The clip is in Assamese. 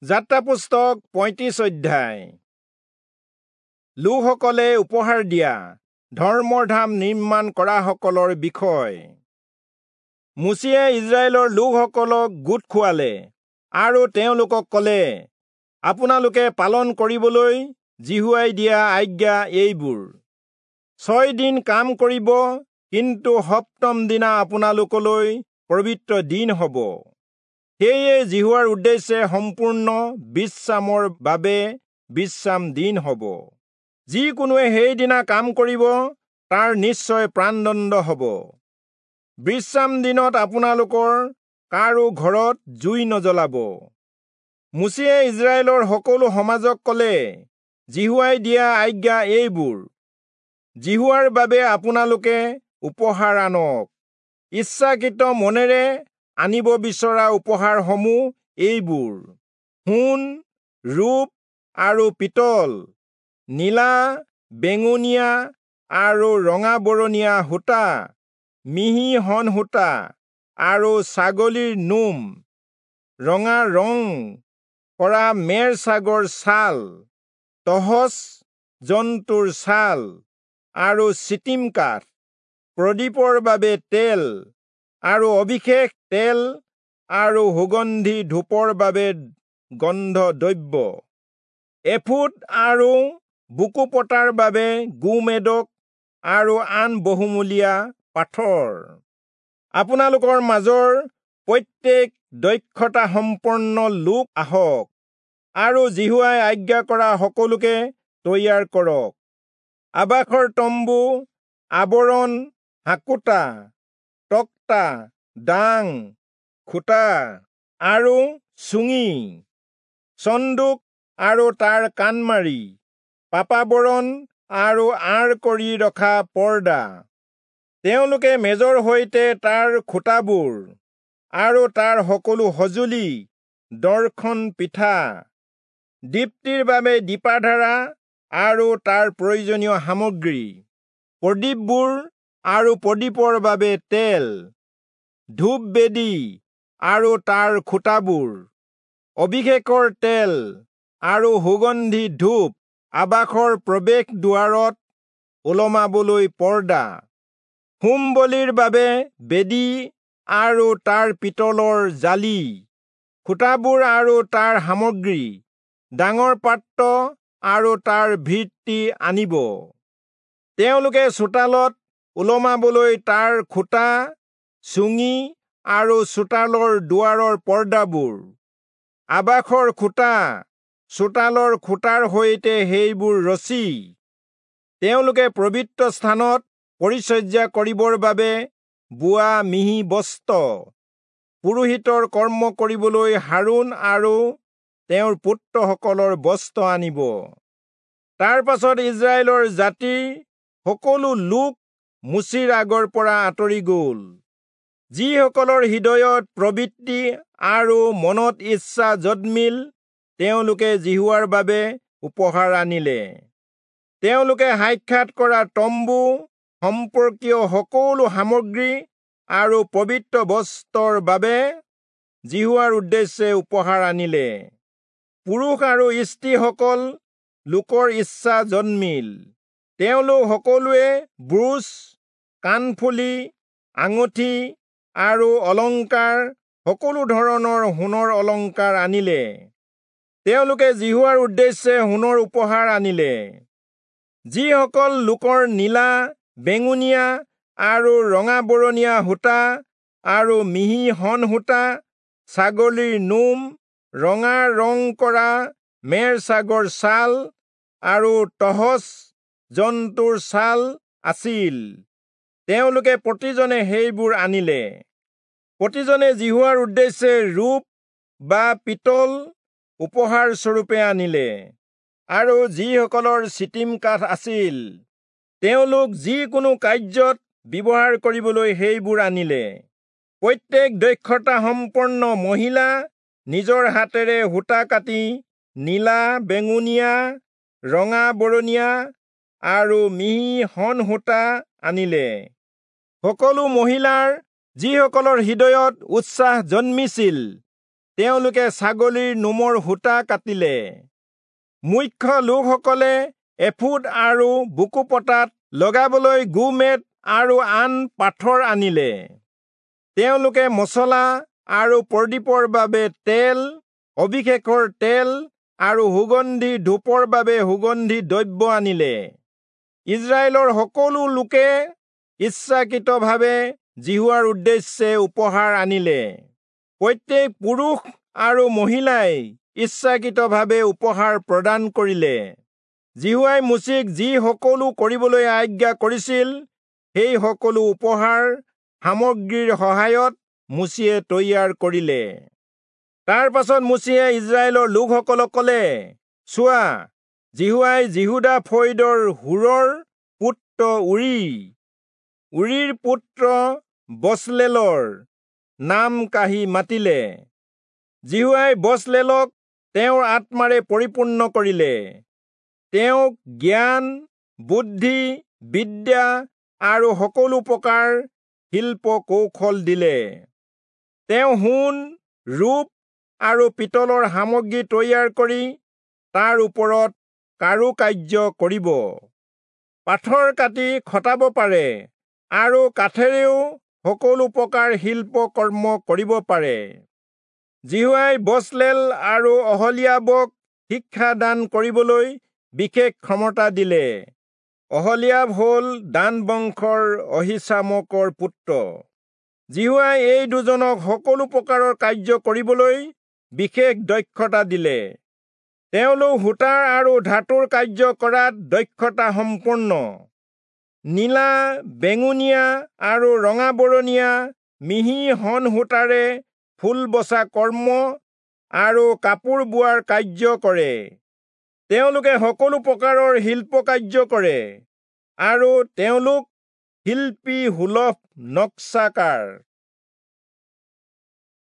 যাত্ৰা পুস্তক 35 অধ্যায়। লোকসকলে উপহাৰ দিয়া ধৰ্মধাম নিৰ্মাণ কৰাসকলৰ বিষয়। মোচিয়ে ইজৰাইলৰ লোকসকলক গোট খুৱালে আৰু তেওঁলোকক কলে, আপোনালোকে পালন কৰিবলৈ যিহোৱাই দিয়া আজ্ঞা এইবোৰ। 6 দিন কাম কৰিব, কিন্তু সপ্তম দিনা আপোনালোকলৈ পবিত্ৰ দিন হ'ব। সেয়ে যিহোৱাৰ উদ্দেশ্যে সম্পূৰ্ণ বিশ্ৰামৰ বাবে বিশ্ৰাম দিন হ'ব। যিকোনোৱে সেইদিনা কাম কৰিব, তাৰ নিশ্চয় প্ৰাণদণ্ড হ'ব। বিশ্ৰাম দিনত আপোনালোকৰ কাৰো ঘৰত জুই নজ্বলাব। মোচিয়ে ইজৰাইলৰ সকলো সমাজক কলে, যিহোৱাই দিয়া আজ্ঞা এইবোৰ। যিহোৱাৰ বাবে আপোনালোকে উপহাৰ আনক। ইচ্ছাকৃত মনেৰে আনিব বিচৰা উপহাৰসমূহ এইবোৰ: সোণ, ৰূপ আৰু পিতল, নীলা, বেঙুনীয়া আৰু ৰঙাবৰণীয়া সূতা, মিহি শণ সূতা আৰু ছাগলীৰ নোম, ৰঙা ৰং কৰা মেৰ ছাগৰ ছাল, তহচ জন্তুৰ ছাল আৰু চিটিম কাঠ, প্ৰদীপৰ বাবে তেল আৰু অভিষেক তেল আৰু সুগন্ধি ধূপৰ বাবে গন্ধ দ্ৰব্য, এফোদ আৰু বুকু পতাৰ বাবে গোমেদক আৰু আন বহুমূলীয়া পাথৰ। আপোনালোকৰ মাজৰ প্ৰত্যেক দক্ষতা সম্পন্ন লোক আহক আৰু যিহোৱাই আজ্ঞা কৰা সকলোকে তৈয়াৰ কৰক। আবাসৰ তম্বু, আৱৰণ, হাকোটা, তক্তা, দাং, খুঁটা আৰু চুঙি, চন্দুক আৰু তাৰ কাণমাৰি, পাপাবৰণ আৰু আঁৰ কৰি ৰখা পৰ্দা। তেওঁলোকে মেজৰ সৈতে তাৰ খুঁটাবোৰ আৰু তাৰ সকলো সঁজুলি, দৰ্শন পিঠা, দীপ্তিৰ বাবে দীপাধাৰা আৰু তাৰ প্ৰয়োজনীয় সামগ্ৰী, প্ৰদীপবোৰ আৰু প্ৰদীপৰ বাবে তেল, ধূপ বেদী আৰু তাৰ খুঁটাবোৰ, অভিষেকৰ তেল আৰু সুগন্ধি ধূপ, আবাসৰ প্ৰৱেশ দুৱাৰত ওলমাবলৈ পৰ্দা, হোম বলিৰ বাবে বেদী আৰু তাৰ পিতলৰ জালি, খুঁটাবোৰ আৰু তাৰ সামগ্ৰী, ডাঙৰ পাত্ৰ আৰু তাৰ ভিত্তি আনিব। তেওঁলোকে চোতালত ওলমাবলৈ তাৰ খুঁটা, চুঙি আৰু চোতালৰ দুৱাৰৰ পৰ্দাবোৰ, আবাসৰ খুঁটা, চোতালৰ খুঁটাৰ সৈতে সেইবোৰ ৰচি, তেওঁলোকে পবিত্ৰ স্থানত পৰিচৰ্যা কৰিবৰ বাবে বোৱা মিহি বস্ত্ৰ, পুৰোহিতৰ কৰ্ম কৰিবলৈ হাৰোণ আৰু তেওঁৰ পুত্ৰসকলৰ বস্ত্ৰ আনিব। তাৰ পাছত ইজৰাইলৰ জাতিৰ সকলো লোক মোচিৰ আগৰ পৰা আঁতৰি গ'ল। যিসকলৰ হৃদয়ত প্ৰবৃত্তি আৰু মনত ইচ্ছা জন্মিল, তেওঁলোকে যিহোৱাৰ বাবে উপহাৰ আনিলে। তেওঁলোকে সাক্ষাৎ কৰা তম্বু সম্পৰ্কীয় সকলো সামগ্ৰী আৰু পবিত্ৰ বস্ত্ৰৰ বাবে যিহোৱাৰ উদ্দেশ্যে উপহাৰ আনিলে। পুৰুষ আৰু স্ত্ৰীসকল লোকৰ ইচ্ছা জন্মিল। তেওঁলোক সকলোৱে ব্ৰুচ, কাণফুলি, আঙুঠি আৰু অলংকাৰ, সকলো ধৰণৰ সোণৰ অলংকাৰ আনিলে। তেওঁলোকে যিহোৱাৰ উদ্দেশ্যে সোণৰ উপহাৰ আনিলে। যিসকল লোকৰ নীলা, বেঙুনীয়া আৰু ৰঙাবৰণীয়া সূতা আৰু মিহি শণ সূতা, ছাগলীৰ নোম, ৰঙা ৰং কৰা মেৰ ছাগৰ ছাল আৰু তহচ জন্তুৰ ছাল আছিল, তেওঁলোকে প্ৰতিজনে সেইবোৰ আনিলে। প্ৰতিজনে যিহোৱাৰ উদ্দেশ্যে ৰূপ বা পিতল উপহাৰ স্বৰূপে আনিলে। আৰু যিসকলৰ চিটিম কাঠ আছিল, তেওঁলোক যিকোনো কাৰ্যত ব্যৱহাৰ কৰিবলৈ সেইবোৰ আনিলে। প্ৰত্যেক দক্ষতা সম্পন্ন মহিলা নিজৰ হাতেৰে সূতা কাটি নীলা, বেঙুনীয়া, ৰঙাবৰণীয়া আৰু মিহি শণ সূতা আনিলে। সকলো মহিলাৰ যিসকলৰ হৃদয়ত উৎসাহ জন্মিছিল, তেওঁলোকে ছাগলীৰ নোমৰ সূতা কাটিলে। মুখ্য লোকসকলে এফোদ আৰু বুকুপতাত লগাবলৈ গোমেদ আৰু আন পাথৰ আনিলে। তেওঁলোকে মছলা আৰু প্ৰদীপৰ বাবে তেল, অভিষেকৰ তেল আৰু সুগন্ধি ধূপৰ বাবে সুগন্ধি দ্ৰব্য আনিলে। ইস্ৰায়েলৰ সকলো লোকে ইচ্ছাকৃতভাৱে যিহোৱাৰ উদ্দেশ্যে উপহাৰ আনিলে। প্ৰত্যেক পুৰুষ আৰু মহিলাই ইচ্ছাকৃতভাৱে উপহাৰ প্ৰদান কৰিলে। যিহোৱাই মোচিক যি সকলো কৰিবলৈ আজ্ঞা কৰিছিল, সেই সকলো উপহাৰ সামগ্ৰীৰ সহায়ত মোচিয়ে তৈয়াৰ কৰিলে। তাৰ পাছত মোচিয়ে ইস্ৰায়েলৰ লোকসকলক ক'লে, চোৱা, যিহোৱাই যিহূদা ফৈদৰ হূৰৰ পুত্ৰ উৰীৰ পুত্ৰ বচলেলৰ নাম কাঢ়ি মাতিলে। যিহোৱাই বচলেলক তেওঁৰ আত্মাৰে পৰিপূৰ্ণ কৰিলে। তেওঁক জ্ঞান, বুদ্ধি, বিদ্যা আৰু সকলো প্ৰকাৰ শিল্প কৌশল দিলে। তেওঁ সোণ, ৰূপ আৰু পিতলৰ সামগ্ৰী তৈয়াৰ কৰি তাৰ ওপৰত কাৰুকাৰ্য কৰিব, পাথৰ কাটি খটাব পাৰে আৰু কাঠেৰেও সকলো প্ৰকাৰ শিল্প কৰ্ম কৰিব পাৰে। যিহোৱাই বচলেল আৰু অহলীয়াবক শিক্ষা দান কৰিবলৈ বিশেষ ক্ষমতা দিলে। অহলীয়াব হ'ল দান বংশৰ অহীচামকৰ পুত্ৰ। যিহোৱাই এই দুজনক সকলো প্ৰকাৰৰ কাৰ্য কৰিবলৈ বিশেষ দক্ষতা দিলে। তেওঁলোক সূতাৰ আৰু ধাতুৰ কাৰ্য কৰাত দক্ষতা সম্পন্ন। নীলা, বেঙুনীয়া আৰু ৰঙাবৰণীয়া মিহি শণ সূতাৰে ফুল বচা কৰ্ম আৰু কাপোৰ বোৱাৰ কাৰ্য কৰে। তেওঁলোকে সকলো প্ৰকাৰৰ শিল্প কাৰ্য কৰে আৰু তেওঁলোক শিল্পী সুলভ নক্সাকাৰ।